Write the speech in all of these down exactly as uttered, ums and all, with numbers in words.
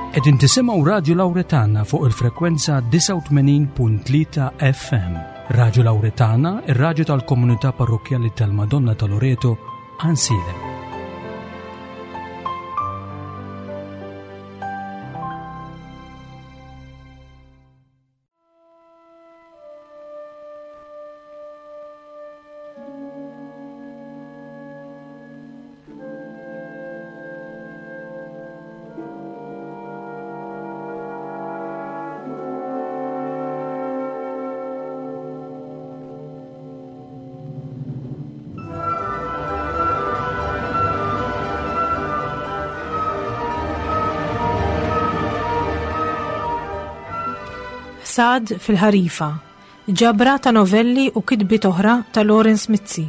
Qegħdin tisimgħu Radju Lawretana fuq il-frekwenza disgħa u tmenin punt tlieta F M. Radju Lawretana, ir-radju tal-komunità parrokkjali tal-Madonna ta' Loreto, Għajnsielem. Ħsad fil-ħarifa, ġabra ta' novelli u kitbiet oħra ta' Lawrence Mizzi.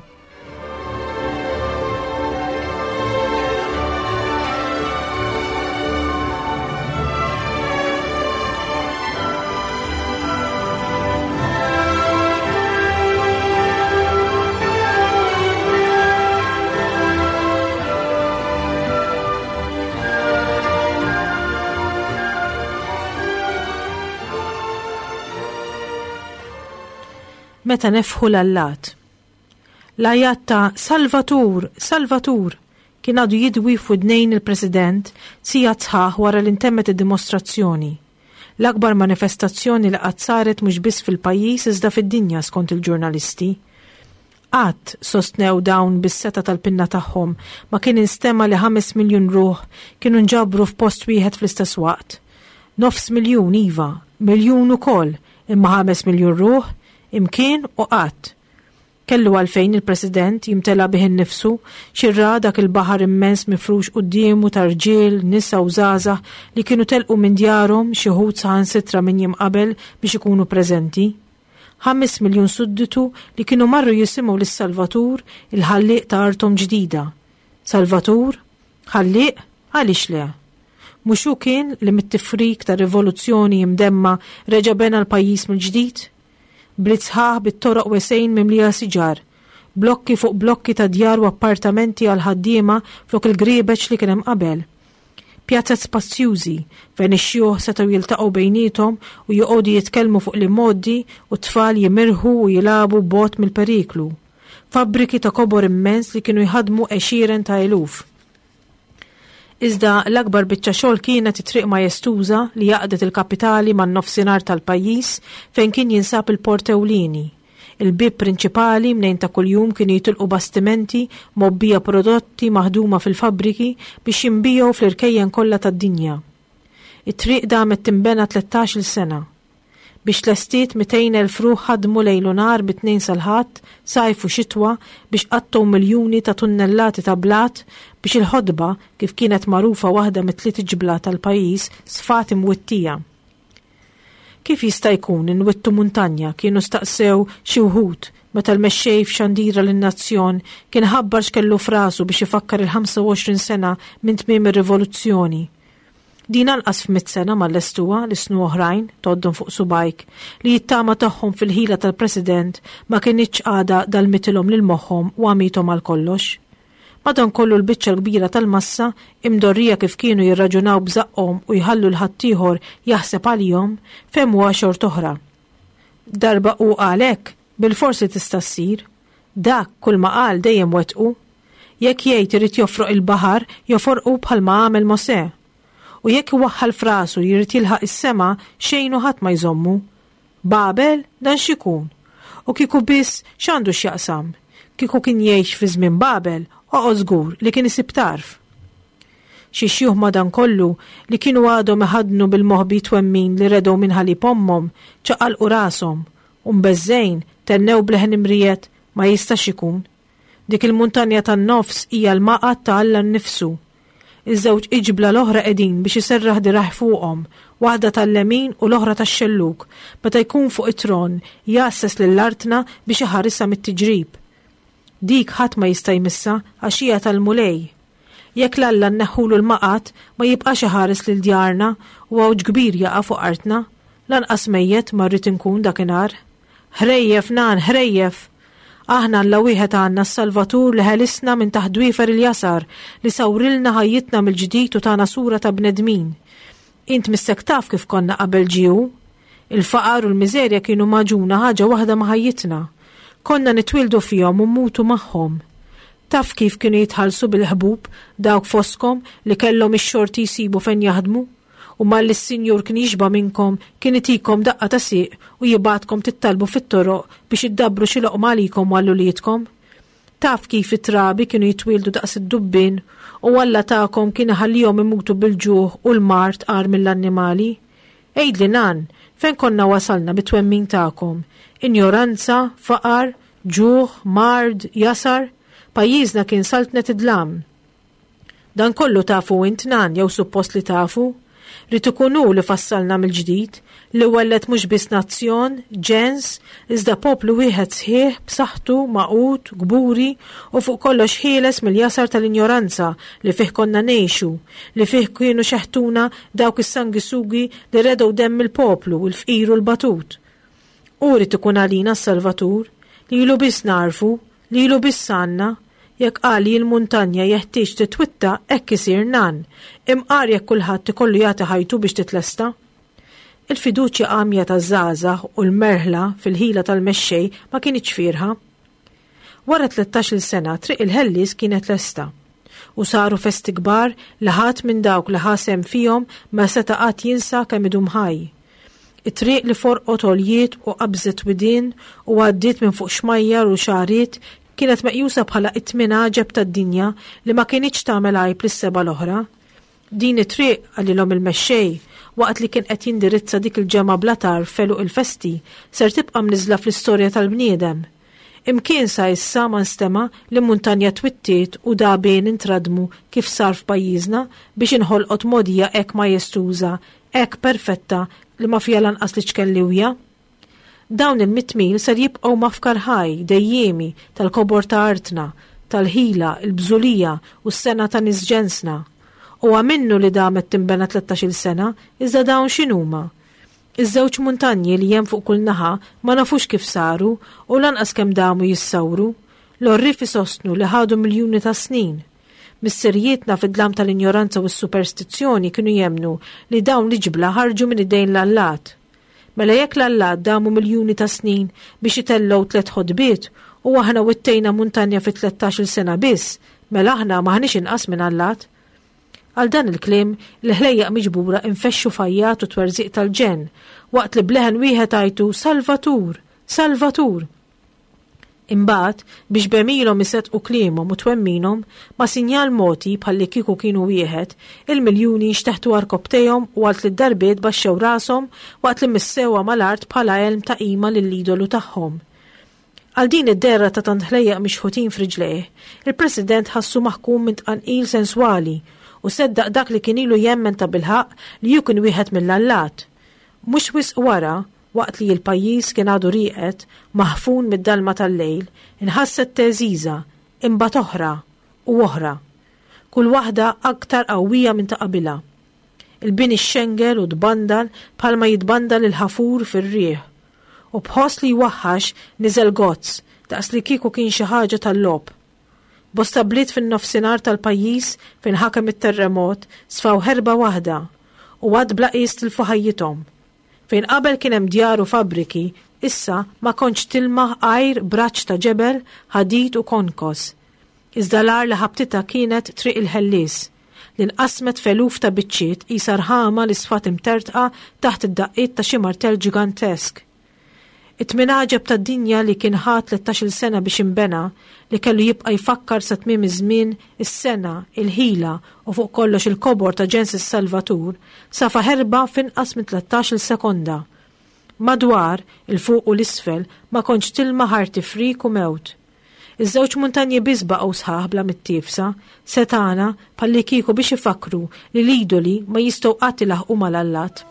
Meta nefħu l-allat. L-ajat ta' Salvatur, Salvatur kien għadu jidwi f'widnejn il-President sija sħaħ wara li ntemmet id-dimostrazzjoni. L-akbar manifestazzjoni li qatt saret mhux biss fil-pajjiż iżda fid-dinja skont il-ġurnalisti. Qatt sostnew dawn bis-seta tal-pinna tagħhom ma kien instema li ħames miljun ruħ kienu nġabru f'post wieħed fl-istess waqt. Nofs miljun iva, miljun ukoll, imma ħames miljun ruħ imkien u qatt. Kellu għalfejn il-President jimtela bih innifsu xirra dak il-baħar immens mifrux quddiemu ta' rġiel, nisa u żgħażagħ li kienu telqu minn djarhom xi wħud saħansitra minn jiem qabel biex ikunu preżenti. Ħames miljun sudditu li kienu marru jisimgħu lis-Salvatur, il-ħallieq ta' arthom ġdida. Salvatur? Ħallieq? Għaliex le? Mhux hu kien li mit-tifrik ta' rivoluzzjoni imdemma reġa' bena l-pajjiż mill-ġdid? Bliet sħaħ bit-toroq wesgħin mimlija siġar, blokki fuq blokki ta' djar u appartamenti għal ħaddiema flok il-griebeċ li kien hemm qabel. Pjazzet spazjużi fejn ix-xjuħ setgħu jiltaqgħu bejniethom u joqogħdu jitkellmu fuq l-immoddi u t-tfal jimirħu u jilagħbu bogħod mill-periklu. Fabbriki ta' kobor immens li kienu jħadmu għexieren ta' eluf. Iżda l-akbar biċċa xogħol kienet it-triq majestuża li jaqdet il-kapitali man-nofsinhar tal-pajjiż fejn kien jinsab il-port ewlieni. Il-bieb prinċipali mnejn ta' kuljum kienu jitilqu bastimenti mgħobbija prodotti maħduma fil-fabbriki biex jinbiegħu fl-irkejjen kollha tad-dinja. It-triq damet tinbena tlettax-il sena. Biex tlestiet mitejn elf ruħ ħadmu lejl u nhar mit-tnejn sal-Ħadd, sajf u xitwa biex qattgħu miljuni ta' tunnellati ta' blat biex il-ħodba, kif kienet magħrufa waħda mit-tliet ġbla tal-pajjiż, sfat imwittija. Kif jista' jkun inwittu muntanja kienu staqsew xi wħud meta l-mexxej f'xandira lin-nazzjon kien ħabbar x'kellu f'rasu biex ifakkar il-ħamsa u għoxrin sena minn tmiem ir-rivoluzzjoni. Din anqas f'mitt sena mal-lestuwa li snu oħrajn toddhom fuq subajk li jittama tagħhom fil-ħila tal-President ma kinitx għada dal-mitilhom lil moħħhom u għamithom għal kollox. Madankollu l-biċċa l-kbira tal-massa imdorrija kif kienu jirraġunaw bżaqqhom u jħallu l-ħaddieħor jaħseb għalihom fehmuha xort oħra. Darba u għalhekk bil-forsi tista' ssir. Dak kull ma qal dejjem wettqu. Jekk jgħid irid jofroq il-baħar, joforqu bħalma għamel Mosè. U jekk iwaħħal frasu jrid jilħaq is-sema xejn u ħadd ma jżommu. Babel dan x'ikun? U kieku biss x'għandu x'jaqsam? Kieku kien jgħix fi żmien Babel, oqgħod żgur li kien isib tarf. Xi xjuħ madankollu li kienu għadhom iħaddnu bil-moħbi twemmin li redew minn ħalib ommhom, ċaqalqu rashom u mbeżżejn tennew bleħen imrijet ma jistax ikun. Dik il-muntanja tan-nofs hija l-maqgħad ta' Alla nnifsu. Iż-żewġ iġbla l-oħra qegħdin biex iserraħ diraħ fuqhom, waħda tal-lemin u l-oħra tax-xelluk, meta jkun fuq it-tron jgħasses lill-artna biex iħarisha mit-tiġrib. Dik ħadd ma jista' jmissha għax hija tal-Mulej. Jekk l-Alla nneħħulu l-maqgħad ma jibqax iħares lil djarna u għawġ kbir jaqa' fuq artna, lanqas mejjet ma rrid inkun dakinhar. Ħrejjef nan, ħrejjef! Aħna Alla wieħed għandna s-Salvatur li ħelisna minn taħt dwiefer il-jasar li sawrilna ħajjitna mill-ġdid u tana sura ta' bnedmin. Int missek taf kif konna qabel ġie hu. Il-faqar u l-miżerja kienu magħġuna ħaġa waħda ma' ħajjitna. Konna nitwieldu fihom u mmutu magħhom. Taf kif kienu jitħallsu bil-ħbub dawk fostkom li kellhom ix-xorti jsibu fejn jaħdmu? U malli s-sinjur kien jixba' minnkom kien itikom daqqa ta' sieq u jibgħatkom tittalbu fit-toroq biex iddabbru xi loqma għalikom u għal uliedkom. Taf kif it-trabi kienu jitwieldu daqs id-dubbien u Alla tagħkom kien iħallihom imutu bil-ġuħ u l-mard agħar mill-annimali? Għidli nan, fejn konna wasalna bit-twemmin tagħkom? Injoranza, faqar, ġuħ, mard, jasar? Pajjiżna kien saltnet id-dlam. Dan kollu tafu int nan jew suppost li tafu? Ried ikun hu li fassalna mill-ġdid, li welled mhux biss nazzjon, ġens, iżda poplu wieħed sħiħ, b'saħħtu, magħqud, kburi u fuq kollox ħieles mill-jasar tal-injoranza li fih konna ngħixu, li fih kienu xeħtuna dawk is-sangisugi li redgħu demm il-poplu, il-fqir u l-batut. Hu ried ikun għalina s-Salvatur, lilu biss nagħrfu, lilu biss għandna. Jekk qal li l-muntanja jeħtieġ titwitta, hekk isir nan, imqar jekk kulħadd ikollu jagħti ħajtu biex titlesta. Il-fiduċja għamja taż-żgħażagħ u l-merħla fil-ħila tal-mexxej ma kinitx fierħa. Wara tlettax-il sena Triq il-Ħellies kienet lesta u saru festi kbar li ħadd minn dawk li ħa sehem fihom ma seta' qatt jinsa kemm idum ħaj. It-triq li forqot għoljiet u qabżet widien u għaddiet minn fuq xmajjar u xagħriet kienet meqjusa bħala it-tmien għaġeb tad-dinja li ma kinitx tagħmel għajb lis-seba' l-oħra. Din it-triq, qalilhom il-mexxej, waqt li kien qed jindirizza dik il-ġemgħa bla tarf f'għeluq il-festi, ser tibqa' mniżżla fl-istorja tal-bniedem. Imkien sa issa ma nstema' li muntanja twittiet u dagħbien intradmu kif sar f'pajjiżna biex inħolqot mogħdija hekk majestuża, hekk perfetta li ma fiha lanqas l-iċken liwja. Dawn il-mitt mil ser jibqgħu mafkar ħaj, dejjiemi, tal-kobor ta' artna, tal-ħila, il-bżulija u s-sengħa ta' nies ġensna. Huwa minnu li damet tinbena tlettax-il sena, iżda dawn x'inhuma? Iż-żewġ muntanji li hemm fuq kull naħa ma nafux kif saru u lanqas kemm damu jissawru. L-għorrief isostnu li ħadu miljuni ta' snin. Missirijietna fid-dlam tal-injoranza u s-superstizzjoni kienu jemmnu li dawn l-iġbla ħarġu minn idejn l-allat. Mela jekk l-allat damu miljuni ta' snin biex itellgħu tliet ħotbiet u aħna wittejna muntanja fi tlettax-il sena biss, mela aħna m'aħniex inqas minn allat. Għal dan il-kliem, il-ħlejjaq miġbura infexxu f'għajjat u twerżiq tal-ġenn, waqt li b'leħen wieħed għajtu Salvatur! Salvatur! Imbagħad, biex b'għemilhom iseddqu kliemhom u twemminhom, ma' sinjal mogħti bħallikieku kienu wieħed, il-miljuni nxteħtu għarkopptejhom u għal tliet darbiet baxxew rashom waqt li missewha mal-art bħala għelm ta' qima lill-idolu tagħhom. Għal din id-dehra ta' tant ħlejjaq mixħutin f'riġlejh, il-President ħassu maħkum minn tqanqil senswali u seddaq dak li kien ilu jemmen tabilħaqq li hu kien wieħed mill-allat. Mhux wisq wara, waqt li l-pajjiż kien għadu rieqed, maħfun mid-dalma tal-lejl, inħasset theżżiża, imbagħad oħra, u oħra. Kull waħda aktar qawwija minn ta' qabilha. Il-bini xxengel u tbandal bħalma jitbandal il-ħafur fir-riħ. U b'ħoss li jwaħħax niżel gozz, daqs li kieku kien xi ħaġa tal-logħob. Bosta bliet fin-nofsinhar tal-pajjiż fejn ħakem it-terremot sfaw ħerba waħda u għadd bla qies tilfu ħajjithom. Fejn qabel kien hemm djar u fabbriki, issa ma kontx tilmaħ għajr braċ ta' ġebel, ħadid u konkos. Iżda l-agħar li ħabtitha kienet Triq il-Ħellies, li nqasmet f'eluf ta' biċċiet qisha rħama li sfat imtertqa taħt id-daqqiet ta' xi martell ġigantesk. It-tmien għaġeb tad-dinja li kien ħa tlettax-il sena biex inbena, li kellu jibqa' jfakkar sa tmiem iż-żmien, is-sena, il-ħila u fuq kollox il-kobor ta' ġens is-Salvatur, safa ħerba f'inqas minn tlettax-il sekonda. Madwar, il-fuq u l-isfel, ma kontx tilma ħar tifrik u mewt. Iż-żewġ muntanji biss baqgħu sħaħ bla mittiefsa, setgħana bħallikieku biex ifakkru li l-idoli ma jistgħu qatt ilaħqu mal-allat.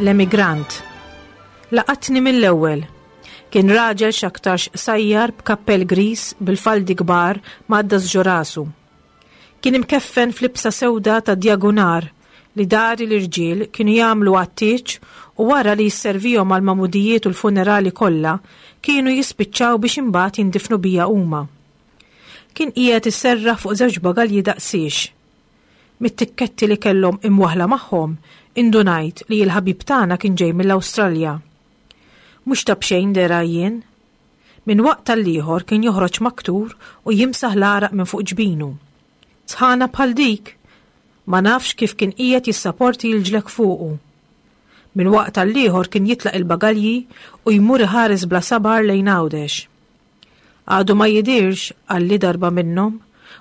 L-Emigrant. Laqatni mill-ewwel. Kien raġel x'aktarx qsajjar b'kappell griż bil-faldi kbar mgħaddas ġo rasu. Kien imkeffen f'libsa sewda ta' djagunar li dari l-irġiel kienu jagħmlu għat-tieġ u wara li jisservihom għall-magħmudijiet u l-funerali kollha kienu jispiċċaw biex imbagħad jindifnu bija huma. Kien qiegħed isserraħ fuq żewġ bagalji daqsiex. Mit-tikketti li kellhom imwaħla magħhom indunajt li l-ħabib tagħna kien ġej mill-Awstralja. Mhux ta' b'xejn dera jien. Minn waqt għall-ieħor kien joħroġ maktur u jimsaħ l-għaraq minn fuq ġbinu. Sħana bħal dik, ma nafx kif kien qiegħed jissaporti l-ġlek fuqu. Minn waqt għall-ieħor kien jitlaq il-bagalji u jmur iħares bla sabar lejn Għawdex. Għadu ma jidirx, qalli darba minnhom,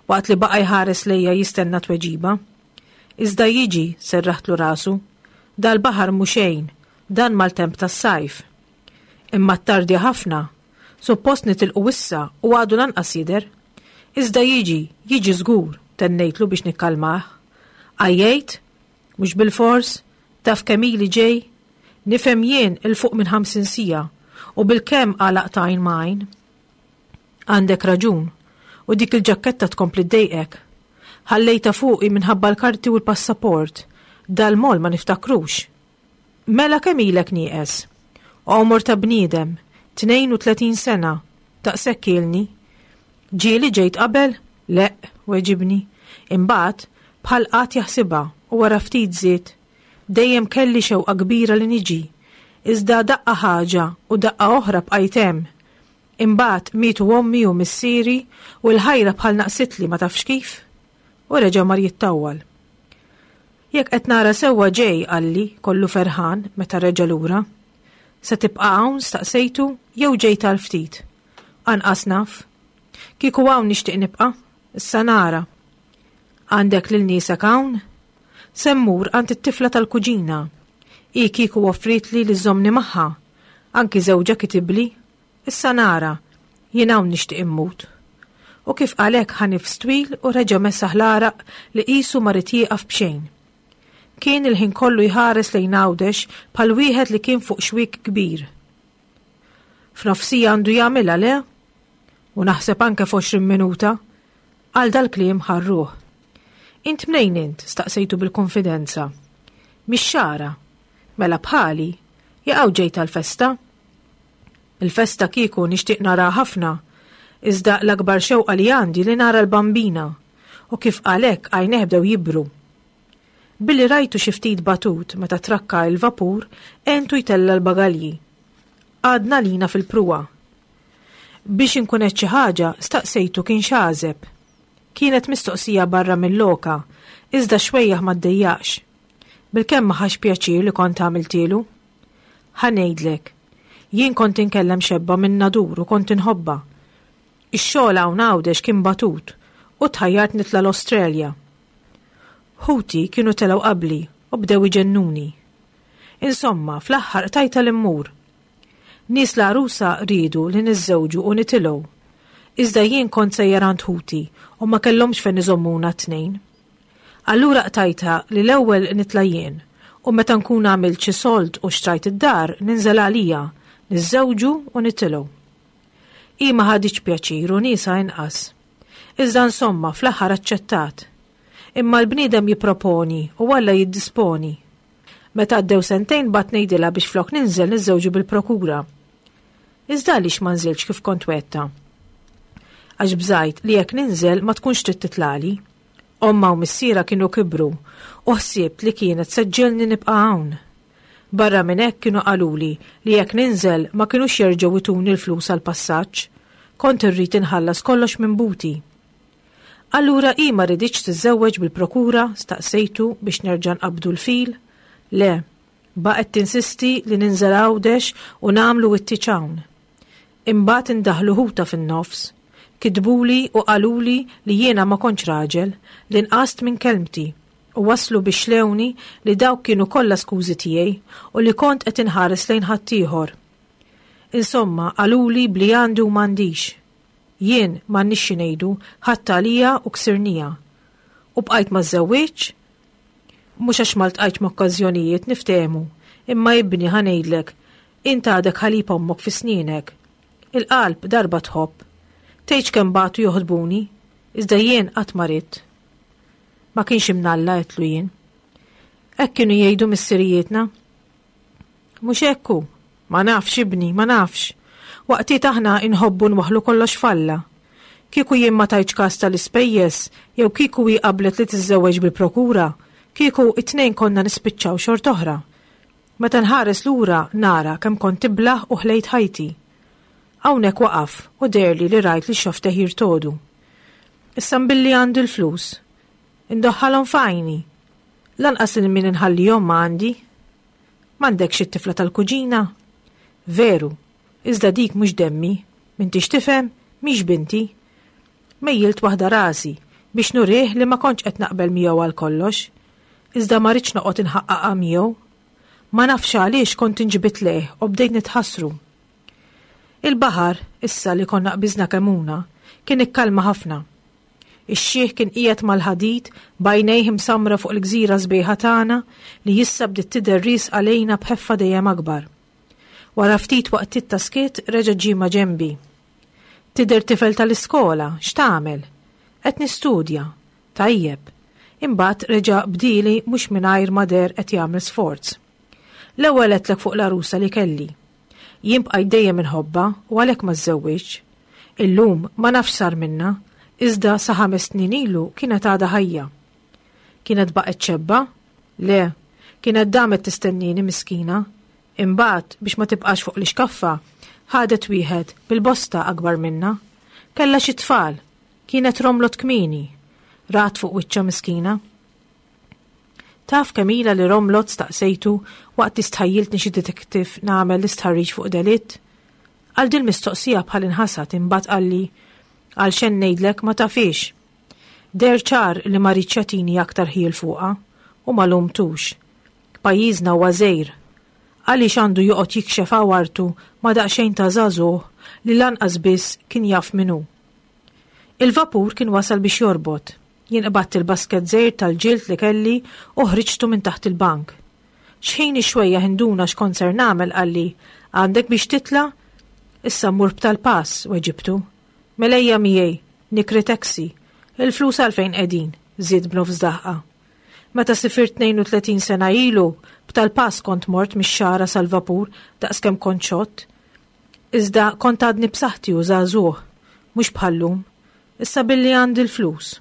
waqt li baqa' jħares lejja jistenna tweġiba. Iżda jiġi, serraħtlu rasu, dal-baħar mhu xejn, dan maltemp tas-sajf. Imma ttardi ħafna, suppost nitilqu issa u għadu lanqas jidher. Iżda jiġi, jiġi żgur, tennejtlu biex nikkalmah. Għajjejt? Mhux bilfors? Taf kemm ili ġej? Nifhem jien 'il fuq minn ħamsin siegħa u bilkemm għalaqt għajn ma' għajn. Għandek raġun, u dik il-ġakketta tkompli ddejqek. Ħallejtha fuqi minħabba l-karti u l-passaport. Dal-mol ma niftakrux. Mela kemm ilek nieqes? Għomor ta' bniedem, tnejn u tletin sena, daqshekk ilni. Ġieli ġejt qabel? Le, weġibni. Imbagħad, bħal qatt jaħsibha u wara ftit żied. Dejjem kelli xewqa kbira li niġi. Iżda daqqa ħaġa u daqqa oħra bqajt hemm. Imbagħad mietu ommi u missieri u l-ħajra bħal naqsitli ma tafx kif. U reġa' mar jittawwal. Jekk qed nara sewwa ġej, qalli, kollu ferħan meta reġa' lura. Se tibqa' hawn staqsejtu jew ġejt għal ftit? Anqas naf. Kieku hawn nixtieq nibqa', issa nara. Għandek lil niesek hawn? Se mmur għand it-tifla tal-kuġina. Hi kieku offritli li żżommni magħha. Anki żewġha kitibli. Issa nara, jien hawn nixtieq immut. U kif qal hekk ħa nifs twil u reġa' mesaħ l-għaraq li qisu ma ried jieqaf b'xejn. Kien il-ħin kollu jħares lejn Għawdex bħal wieħed li kien fuq xwiek kbir. F'nofsija għandu jagħmilha le? U naħseb anke f'għoxrin minuta. Għal dal-kliem ħarruh. Int mnejn int? Staqsejtu bil-konfidenza. Mix-Xagħra. Mela bħali, jaqgħu ġejt għall-festa? Il-festa kieku nixtieq nara ħafna, iżda l-akbar xewqa li għandi li nara l-bambina, u kif qalek għajneh bdew jibru. Billi rajtu xi ftit batut meta trakka il-vapur, għentu jtella l-bagalji. Għadna lina fil-pruwa. Biex inkun qed xi ħaġa, staqsejtu kien x'għażeb. Kienet mistoqsija barra mill-loka, iżda xwejjaħ ma ddejjaqx. Bilkemm ma ħax pjaċir li kont għamiltielu. Ħa ngħidlek, jien kont inkellem xebba minn Nadur u kont inħobbha. Ix-xogħol hawn Għawdex kien batut u tħajjart nitla' l-Awstralja. Ħuti kienu telgħu qabli u bdew iġennuni. Insomma, fl-aħħar qtajtha li mmur. Nies l-għarusa riedu li niżżewġu u nitilgħu. Iżda jien kont sejjer għand ħuti u ma kellhomx fejn iżommuna t-tnejn. Allura qtajtha li l-ewwel nitla' jien u meta nkun għamilt xi sold u xtrajt id-dar ninżel għalija, niżżewġu u nitilgħu. Hi ma ħaditx pjaċir u niesha inqas. Iżda insomma fl-aħħar aċċettat. Imma l-bniedem jipproponi u Alla jiddisponi. Meta għaddew sentejn bgħatt ngħidilha biex flok ninżel niżżewġu bil-prokura. Iżda għaliex ma nżiltx kif kont wegħdtha? Għax bżajt li jekk ninżel ma tkunx trid titlali. Omma u missiera kienu kibru u ħsibt li kienet se ġġielni nibqa' hawn. Barra minn hekk kienu qaluli li jekk ninżel ma kinux jerġgħu ituni l-flus għall-passaġġ. Kont irrid inħallas kollox minn buti. Allura hi ma riditx tiżżewweġ bil-prokura, staqsejtu biex nerġa' nqabbdu l-fil? Le, baqgħet tinsisti li ninżel Għawdex u nagħmlu t-tieġ hawn. Imbagħad indaħlu ħuta fin-nofs. Kitbuli u qaluli li jiena ma kontx raġel, li nqast minn kelmti, u waslu biex xlewni li dawk kienu kollha skużi tiegħi u li kont qed inħares lejn ħaddieħor. Insomma, qaluli bli għandi u m'għandix. Jien m'għandniex xi ngħidu, ħadt għalija u ksirnija. U bqajt ma żżewwiġx? Mhux għax ma ltqajtx m'okkażjonijiet niftehmu, Imma ibni ħa ngħidlek, int għadek ħalib ommok fi snienek. Il-qalb darba tħobb. Tgħidx kemm bagħtu joħdbuni, iżda jien qatt ma ridt. Ma kienx imnalla għedtlu jien. Hekk kienu jgħidu missirijietna. Mhux hekk hu. Ma nafx ibni, ma nafx. Waqtiet aħna inħobbu nwaħħlu kollox f'Alla. Kieku jien ma tajtx kas tal-ispejjeż jew kieku hi qablet li tiżżewweġ bil-prokura, kieku it-tnejn konna nispiċċaw xort'oħra. Meta nħares lura nara kemm kont iblah u ħlejt ħajti. Hawnhekk waqaf u deherli li rajt li xofftejh jirtogħdu. Issa mbilli għandi l-flus. Indoħħalhom f'għajni. Lanqas lil min inħallihom ma għandi. M'għandekx it-tifla tal-kuġina? Veru, iżda dik mhux demmi. M'intix tifhem? Mhix binti. Mejjilt waħda rasi biex nurih li ma kontx qed naqbel miegħu għal kollox. Iżda ma ridtx noqgħod inħaqqaqha miegħu. Ma nafx għaliex kont inġbidt lejh u bdejt nitħassru. Il-baħar, issa li konna qbiżna Kemmuna, kien ikkalma ħafna. Ix-xiħ kien qiegħed mal-ħadid b'għajnejh imsammra fuq il-gżira sbejħa tagħna li issa bdiet tidher riesqa lejna b'ħeffa dejjem akbar. Wara ftit waqtiet ta' skiet reġa' ġie ma' ġenbi. Tidher tifel tal-iskola, x'tagħmel? Qed nistudja. Tajjeb. Imbagħad reġa' bdieli mhux mingħajr ma deher qed jagħmel sforz. L-ewwel għedtlek fuq l-għarusa li kelli. Jien bqajt dejjem inħobbha u għalhekk ma żżewwiġtx. Illum ma nafx sar minnha, iżda sa ħames snin ilu kienet għadha ħajja. Kienet baqgħet xebba? Le, kienet damet tistennini miskina. Imbagħad biex ma tibqax fuq l-ixkaffa, ħadet wieħed bil-bosta akbar minnha. Kellha xi tfal. Kienet romlot kmieni. Rat fuq wiċċha miskina. Taf kemm ilha li romlot staqsejtu waqt li stħajjiltni xi detective nagħmel l-istħarriġ fuq delitt? Għal din mistoqsija bħal inħasad imbagħad qalli għal xejn ngħidlek ma tafix. Deher ċar li ma riedx jagħtini aktar ħjiel fuqha u ma lumtux. Pajjiżna huwa żgħir. Għaliex għandu joqgħod jikxef għawartu ma daqsxejn ta' żagħżugħ li lanqas biss kien jaf min hu. Il-vapur kien wasal biex jorbot. Jien qbadt il-basket żgħir tal-ġild li kelli u ħriġtu minn taħt il-bank. Xħin ix-xwejjaħ induna x'kont ser nagħmel qalli, għandek biex titla'? Issa mmur b'tal-pass, weġibtu. Mela ejja miegħi, nikri taxi. Il-flus għalfejn qegħdin, żied b'nofs daħqa. Meta sifirt tnejn u tletin sena ilu, b'tal-pass kont mort mix-Xagħra sal-vapur daqskemm kont xott. Iżda kont għadni b'saħħti u żagħżugħ, mhux bħallum. Issa billi għandi l-flus.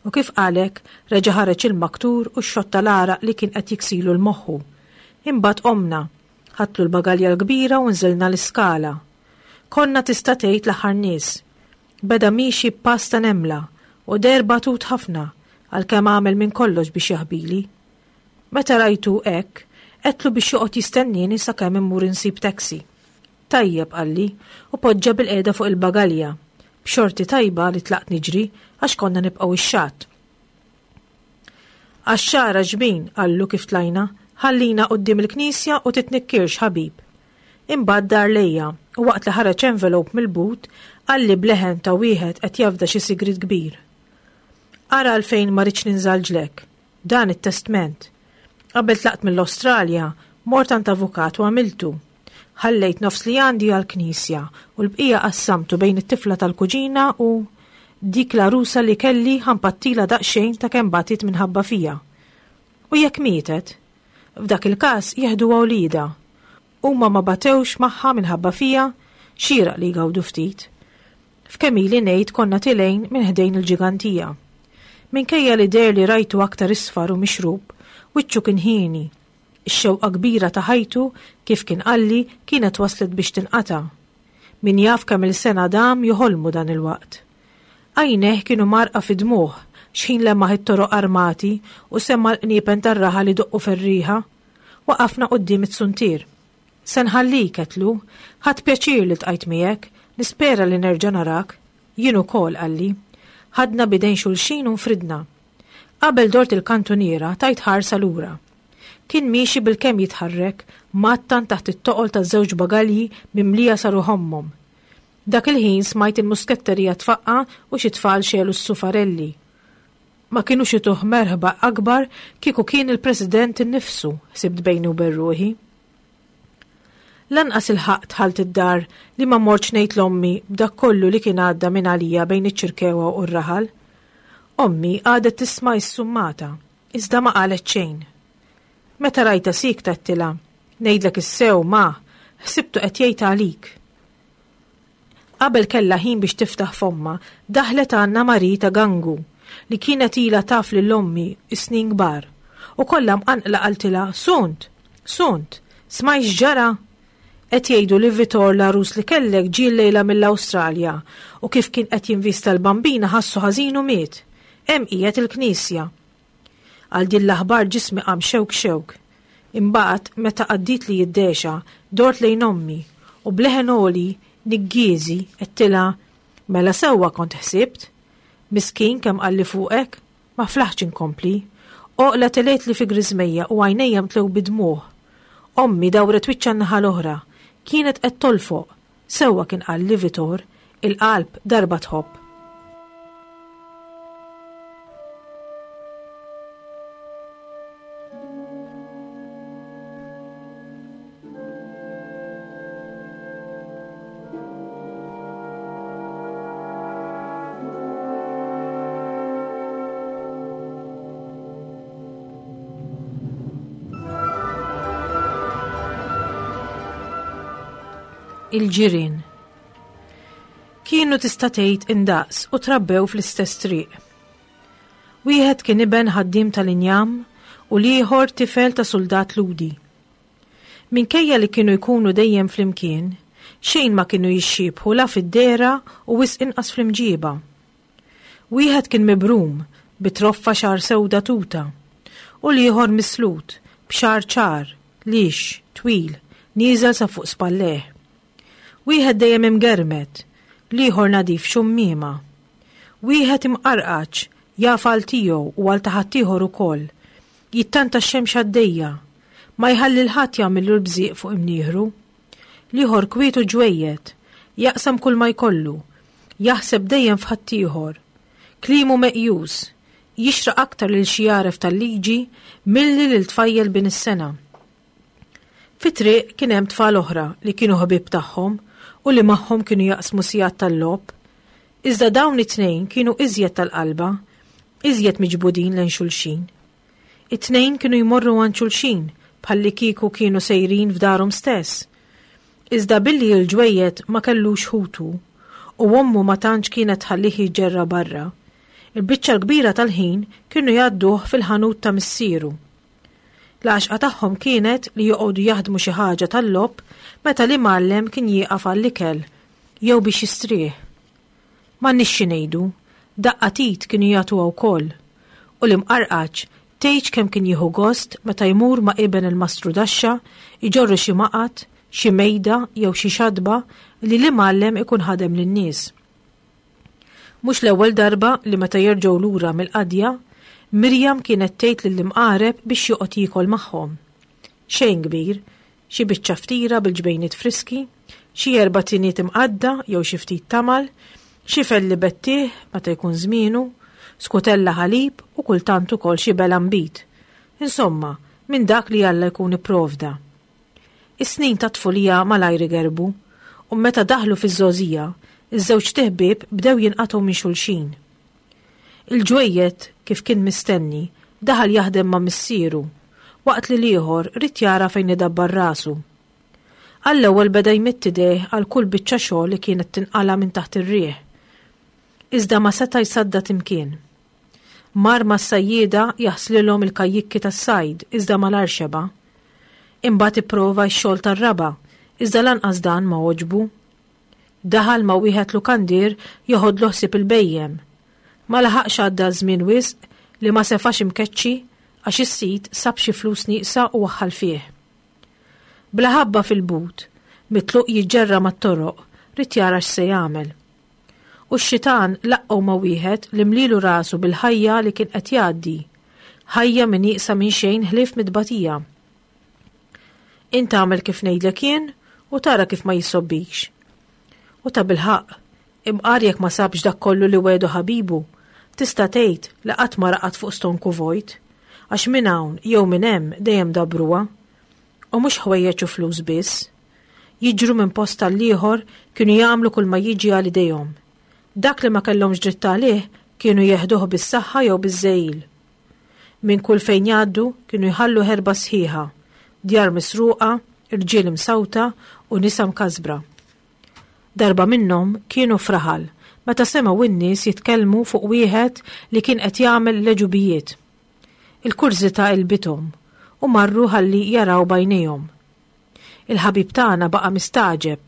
U kif qalek, reġa' ħareġ il-maktur u x-xotta l-għaraq li kien qed jiksilu l-moħħu. Imbagħad qomna, ħadtlu l-bagalja l-kbira u nżilna l-iskala. Konna tista' tgħid l-aħħar nies. Beda miexi b'pass ta' nemla u deher batut ħafna għalkemm għamel minn kollox biex jaħbili. Meta rajtu hekk, għedtlu biex joqgħod jistennieni sakemm immur insib taxi. Tajjeb, qalli, u poġġa bil-qiegħda fuq il-bagalja. B'xorti tajba li tlaqt niġri għax konna nibqgħu ix-xatt. Għax-xagħra ġbin, qallu kif tlajna, ħallina quddiem il-knisja u titnikkirx ħabib. Imbagħad dar lejja u waqt li ħareġ envelope mill-but, qalli b'leħen ta' wieħed qed jafda xi sigriet kbir. Ara għalfejn ma rridx ninżalġlek. Dan it-testment. Qabel tlaqt mill-Awstralja, mort għand avukat u għamiltu. Ħallejt nofs li għandi għall-knisja u l-bqija qassamtu bejn it-tifla tal-kuġina u dik l-għarusa li kelli ħampattila daqsxejn ta' kemm batit minħabba fija. U jekk mietet? F'dak il-każ jeħduha wliedha. Huma ma batewx magħha minħabba fija, xieraq li jgawdu ftit. F'kemm ili ngħid konna tilgħin minn ħdejn il-ġigantija. Minkejja li deher li rajtu aktar isfar u mixrub, wiċċu kien ħieni. Ix-xewqa kbira ta' ħajtu, kif kien qalli, kienet waslet biex tinqata'. Min jaf kemm il-sena dam joħolmu dan il-waqt. Għajnejh kienu marqa fi dmuħ, xħin lemmaħ it-toroq armati u semma l-qniepen tar-raħa li doqqu ferriħa. Waqafna quddiem it-suntier. Se nħallik, għedtlu, ħadt pjaċir li ltqajt miegħek, nispera li nerġa' narak. Jien ukoll, qalli. Ħadna bidejn xulxin u nfridna. Qabel dort il-kantuniera tajt ħarsa lura. Kien miexi bil-kemm jitħarrek, mattan taħt it-toqol ta' żewġ bagalji mimlija saru ħommhom. Dak il-ħin smajt il-musketterija tfaqqa u xi tfal xelu s-sufarelli. Ma kienux ituh merħba akbar kieku kien il-President innifsu, ħsibt bejni u bejn ruħi. Lanqas ilħaqt dħalt id-dar li ma mortx ngħid 'l ommi b'dak kollu li kien għadda minn għalija bejn iċ-Ċirkewwa u r-raħal. Ommi qagħdet tisma' issummata, iżda ma qalet xejn. Meta rajtha siekta għedtilha, ngħidlek is-sew ma, ħsibtu qed jgħid għalik. Qabel kellha ħin biex tiftaħ fommha, daħlet għandna Marie ta' Gangu, li kienet ilha taf lil ommi snin kbar, u kollha mqanqla qaltilha, Sunt, Sunt, smajt x'ġara? Qed jgħidu li Vitor l-għarus li kellek ġie llejla mill-Awstralja u kif kien qed jinvista l-Bambina ħassu ħażin u miet. Hemm qiegħed il-knisja. Għal din l-aħbar ġismi qam xewk xewk. Imbagħad meta għaddietli d-dehxa, dort lejn ommi u b'leħen għoli niggieżi għedtilha, mela sewwa kont ħsibt? Miskin kemm qalli fuqek? Ma flaħtx inkompli. Oqla telgħetli fi griżmejja u għajnejja mtlew bid-dmugħ. Ommi dawret wiċċha n-naħa l-oħra. Kienet qed tolfoq. Sewwa kien qalli Vitor, il-qalb darba tħobb. Il-ġirien. Kienu tista' tgħid indaqs u trabbew fl-istess triq. Wieħed kien iben ħaddiem tal-injam u l-ieħor tifel ta' suldat Lhudi. Minkejja li kienu jkunu dejjem flimkien, xejn ma kienu jixxiebħu la fid-dehra u wisq inqas fl-imġiba. Wieħed kien mibrum bi troffa xagħar sewda tuta u l-ieħor mislut b'xagħar ċar, lix, twil, nieżel sa fuq spallejh. Wieħed dejjem imgermet, l-ieħor nadif xummiema. Wieħed imqarqaċ, jaf għal tiegħu u għal ta' ħaddieħor ukoll. Jittanta x-xemx għaddejja, ma jħalli l-ħadd jagħmillu l-bżieq fuq imnieħru. L-ieħor kwiet u ġwejjed, jaqsam kull ma jkollu, jaħseb dejjem f'ħaddieħor. Kliemu meqjus, jixraq aktar lil xi għaref tal-liġi milli lil tfajjel bin is-sena. Fit-triq kien hemm tfal oħra li kienu ħbieb tagħhom u li magħhom kienu jaqsmu sigħat tal-logħob. Iżda dawn it-tnejn kienu iżjed tal-qalba, iżjed miġbudin lejn xulxin. It-tnejn kienu jmorru għand xulxin bħalli kieku kienu sejrin f'darhom stess. Iżda billi l-ġwejjed ma kellux ħutu u ommu ma tantx kienet tħallih jiġġerra barra, il-biċċa l-kbira tal-ħin kienu jgħadduh fil-ħanut ta' missieru. L-għaxqa tagħhom kienet li joqogħdu jaħdmu xi ħaġa tal-logħob meta l-imgħallem kien jieqaf għall-ikel jew biex jistrieħ. M'għandniex xi ngħidu, daqqa tit kienu jagħtuha wkoll. U l-imqarqaċ tgħidx kemm kien jieħu gost meta jmur ma' iben il-mastru daxxa iġorru xi maqat, xi mejda jew xi xadba li l-imgħallem ikun ħadem lin-nies. Mhux l-ewwel darba li meta jerġgħu lura mill-qadja, Mirjam kienet tgħid lill-imqareb biex joqgħod jiekol magħhom. Xejn kbir, xi biċċa ftira bil-ġbejniet friski, xi erba' tiniet imqadda jew xi ftit tamal, xi felli bettieħ meta jkun żmienu, skutella ħalib u kultant ukoll xi bela nbid. Insomma, minn dak li Alla jkun ipprovda. Is-snin ta' tfulija malajr igerbu, u meta daħlu fiż-żgħożija, iż-żewġ tiħbieb bdew jinqatgħu minn xulxin. Il-ġwejjed, kif kien mistenni, daħal jaħdem ma' missieru, waqt li l-ieħor ried jara fejn idabbar rasu. Għall-ewwel beda jmidd idejh għal kull biċċa xogħol li kienet tinqala' minn taħt ir-riħ. Iżda ma seta' jsaddad imkien. Mar mas-sajjieda jaħslilhom il-kajjikki tas-sajd iżda malar xeba'. Imbagħad ipprova x-xogħol tar-raba', iżda lanqas dan ma għoġbu. Daħal ma' wieħed lukandier joħodlu ħsieb il-bejjem. Ma laħaqx għadda żmien wisq li ma sefax imkeċċi għax is-sid sab xi flus nieqsa u waħħal fih. Bla ħabba fil-but, mitluq jiġġerra mat-toroq, ried jara x'se jagħmel. U x-xitan laqqgħu ma' wieħed li mlilu rasu bil-ħajja li kien qed jgħaddi, ħajja minn nieqsa minn xejn ħlief mitbatija. Int agħmel kif ngħidlek jien u tara kif ma jissobbikx. U ta' bilħaqq, imqar jekk ma sabx dak kollu li wedu ħabibu, tista' tgħid li qatt ma raqad fuq stonku vojt, għax minn hawn jew minn hemm dejjem dabruha. U mhux ħwejjeġ u flus biss. Jiġru minn post għall-ieħor, kienu jagħmlu kull ma jiġi għal idejhom. Dak li ma kellhomx dritt għalih kienu jeħduh bis-saħħa jew biż-żegħil. Minn kull fejn jgħaddu kienu jħallu ħerba sħiħa, djar misruqa, irġiel imsawta u nisa mkasbra. Darba minnhom kienu f'raħal meta semgħu n-nies jitkellmu fuq wieħed li kien qed jagħmel l-għeġubijiet. Il-kurżità għelbithom u marru ħalli jaraw b'għajnejhom. Il-ħabib tagħna baqa' mistagħġeb.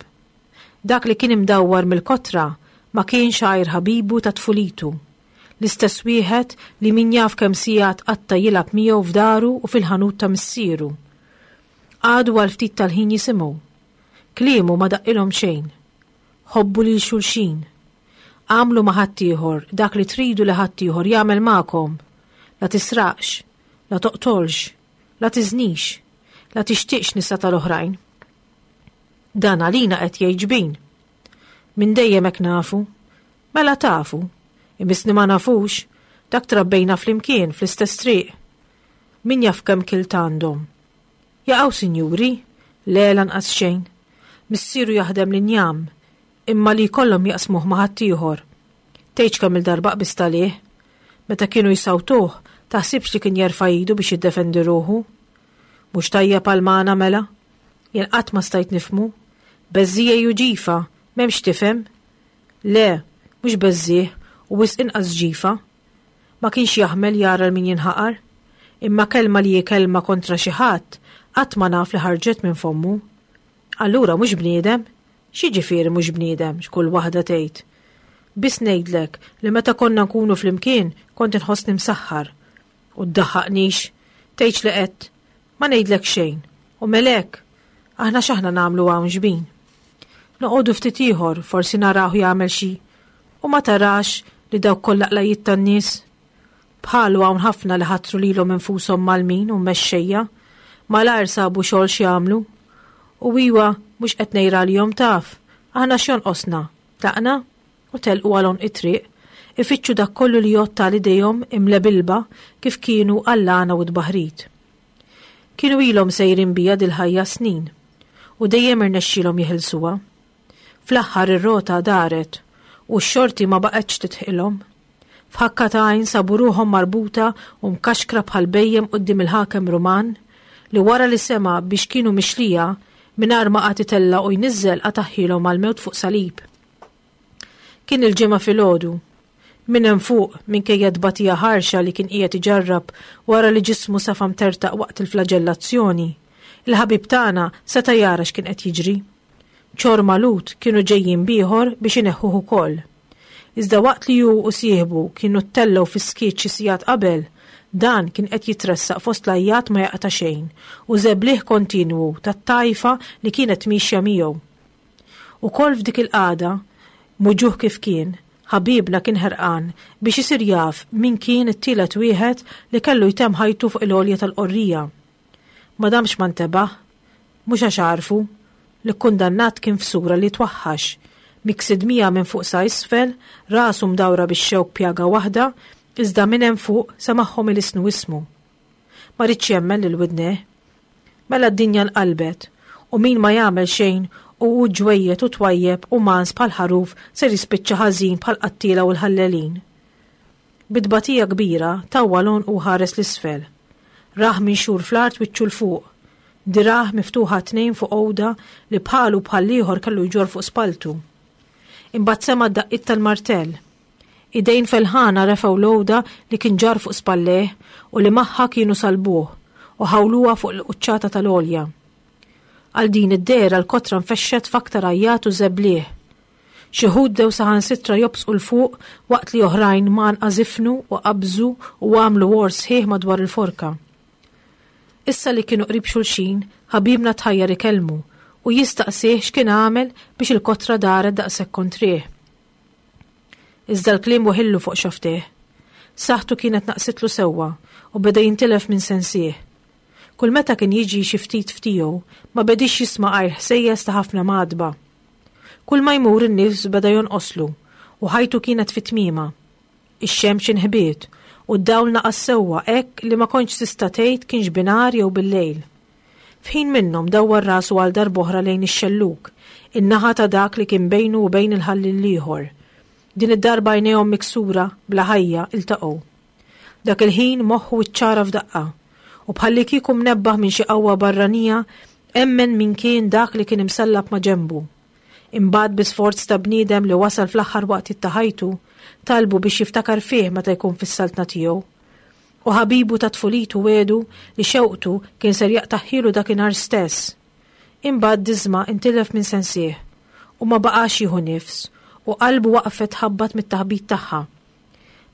Dak li kien imdawwar mill-kotra ma kienx għajr ħabibu ta' tfulitu. L-istess wieħed li min jaf kemm sigħat qatta' jilgħab miegħu f'daru u fil-ħanut ta' missieru. Qagħdu għal ftit tal-ħin jisimgħu. Kliemu ma daqqilhom xejn. Ħobbu lil xulxin. Agħmlu ma' ħaddieħor dak li tridu li ħaddieħor jagħmel magħkom. La tisraqx, la toqtolx, la tiżnix, la tixtieqx nisa tal-oħrajn. Dan għalina qed jgħid xbin. Minn dejjem hekk nafu. Mela tafu. Imissni ma nafux, dak trabbejna flimkien fl-istess triq. Min jaf kemm kilt għandhom. Jaqgħu sinjuri, le lanqas xejn. Missieru jaħdem l-injam, imma li jkollhom jaqsmuh ma' ħaddieħor. Tgħidx kemm il-darba qbiżt għalih. Meta kienu jsawtuh, taħsibx li kien jerfa' idu biex jiddefendi ruħu. Mhux tajjeb għal magħna mela? Jien qatt ma stajt nifhmu. Beżżiegħ u ġifa, m'hemmx tifhem. Le, mhux beżżiegħ u wisq inqas ġifa. Ma kienx jaħmel jara 'l min jinħaqar. Imma kelma li hi kelma kontra xi ħadd, qatt ma naf li ħarġet minn fommu. Allura mhux bniedem? X'jiġifieri mhux bniedem, x'kull waħda tgħid. Biss ngħidlek li meta konna nkunu flimkien kont inħossni msaħħar. U ddaħħaqnix, tgħidx li qed, ma ngħidlek xejn. U melek, aħna x'aħna nagħmlu hawn xbin. Noqogħdu ftit ieħor, forsi naraw jagħmel xi. U ma tarax li dawk kollha qlajiet tan-nies. Bħalu hawn ħafna li ħatru lilhom infushom mgħallmin u mexxejja, malajr sabu xogħol x'jagħmlu. U iwa mhux qed ngħir għalihom taf, aħna x'jonqosna, tlaqna u telqu għal għonq it-triq, ifittxu dak kollu li jgħodd għal idejhom imlebilba kif kienu għall-għana u t-tbaħrid. Kienu ilhom sejrin bija dil-ħajja snin u dejjem irnexxielhom jeħilsuha. Fl-aħħar ir-rota daret u x-xorti ma baqgħetx titħilhom. F'ħakka ta' għajn sabu ruħhom marbuta u mkaxkra bħal bhejjem quddiem il-ħakem Ruman li wara li sema' biex kienu mixlija mingħajr ma qagħad itella' u jniżżel qataħħilhom għall-mewt fuq salib. Kien il-Ġimgħa filgħodu. Minn hemm fuq, minkejja tbatija ħarxa li kien qiegħed iġarrab wara li ġismu safa mtertaq waqt il-flaġellazzjoni, il-ħabib tagħna seta' jara x'kien qed jiġri. Ċor malut kienu ġejjin bieħor biex ineħħuh ukoll. Iżda waqt li hu u sieħbu kienu ttellgħu fis-skiet xi sigħat qabel, dan kien qed jitressaq fost l-għajjat ma jaqta' xejn u żebliħ kontinwu tat-tajfa li kienet miexja miegħu. Ukoll f'dik il-qagħda, muġuh kif kien, ħabibna kien ħerqan biex isir jaf min kien it-tielet wieħed li kellu jtemm ħajtu fuq il-għolja tal-qorrija. Ma damx ma ntebaħ, mhux għax għarfu, li kkundannat kien f'sura li twaħħax, miksi dmija minn fuq sa isfel, rasu mdawra bix-xewk pjaga waħda, iżda minn hemm fuq semagħhom ilisnu ismu. Ma ridx jemmen lil widnejh. Mela d-dinja nqalbet, u min ma jagħmel xejn u hu ġwejjed u twajjeb u mans bħal ħaruf ser jispiċċa ħażin bħal qattiela u l-ħallelin. Bi tbatija kbira tawwal għonqu u ħares l-isfel. Rah minxur fl-art wiċċu 'l fuq, dirah miftuħa tnejn fuq għoda li bħalu bħal ieħor kellu jġorr fuq spaltu. Imbagħad sema' d-daqqiet tal-martell. Idejn felħana refgħu l-għoda li kien ġarr fuq spallejh u li magħha kienu salbuh u ħawluha fuq il-quċċata tal-għolja. Għal din id-dehra l-kotra nfexxet f'aktar għajjat u żebliħ. Xi wħud bdew saħansitra jobsqu 'l fuq waqt li oħrajn mgħannqa żifnu u qabżu u għamlu għors sħiħ madwar il-forka. Issa li kienu qrib xulxin, ħabibna tħajjar ikellmu u jistaqsih x'kien għamel biex il-kotra daret daqshekk kontrih. Iżda l-kliem weħillu fuq xaftih. Saħħtu kienet naqsitlu sewwa u beda jintilef minn sensih. Kull meta kien jiġi xi ftit ftiegħu, ma bedix jisma' għajr ħsejjes ta' ħafna madba. Kull ma jmur in-nifs beda jonqoslu u ħajtu kienet fi tmiemha. Ix-xemx inħbiet u d-dawl naqas sewwa hekk li ma kontx tista' tgħid kienx binhar jew bil-lejl. F'ħin minnhom dawwar rasu għal darb'oħra lejn ix-xellug, in-naħa ta' dak li kien bejnu u bejn il-ħalliel l-ieħor. Din id-darba għajnejhom miksura, bla ħajja, iltaqgħu. Dak il-ħin moħħu ċċara f'daqqa, u bħallikieku mnebbaħ minn xi qawwa barranija emmen min kien dak li kien imsallab ma' ġenbu. Imbagħad bi sforz ta' bniedem li wasal fl-aħħar waqtiet ta' ħajtu, talbu biex jiftakar fih meta jkun fis-saltna tiegħu. U ħabibu ta' tfulitu wiegħdu li xewqtu kien ser jaqtagħhielu dakinhar stess. Imbagħad Disma intilef minn sensih u ma baqax jieħu nifs u qalbu waqfet tħabbat mit-taħbit tagħha.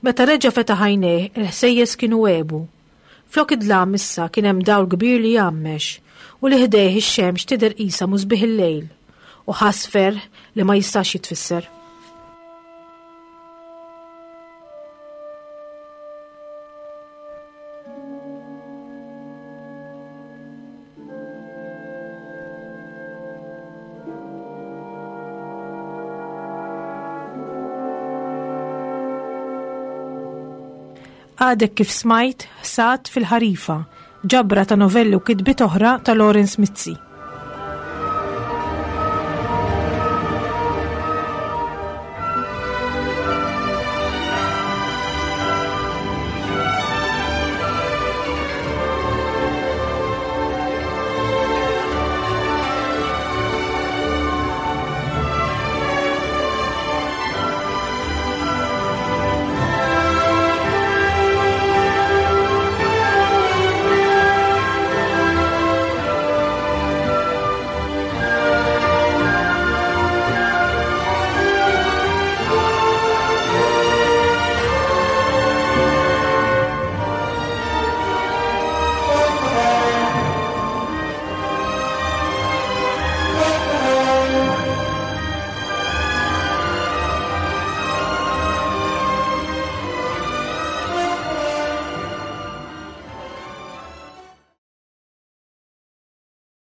Meta reġa' fetaħ għajnejh, il-ħsejjes kienu għebu. Flok id-dlam issa kien hemm dawl kbir li jgħammex u li ħdejh ix-xemx tidher qisha musbieħ il-lejl u ħass ferħ li ma jistax jitfisser. Għadek kif smajt Ħsad fil-Ħarifa, ġabra ta' novelli u kitbiet oħra ta' Lawrence Mizzi.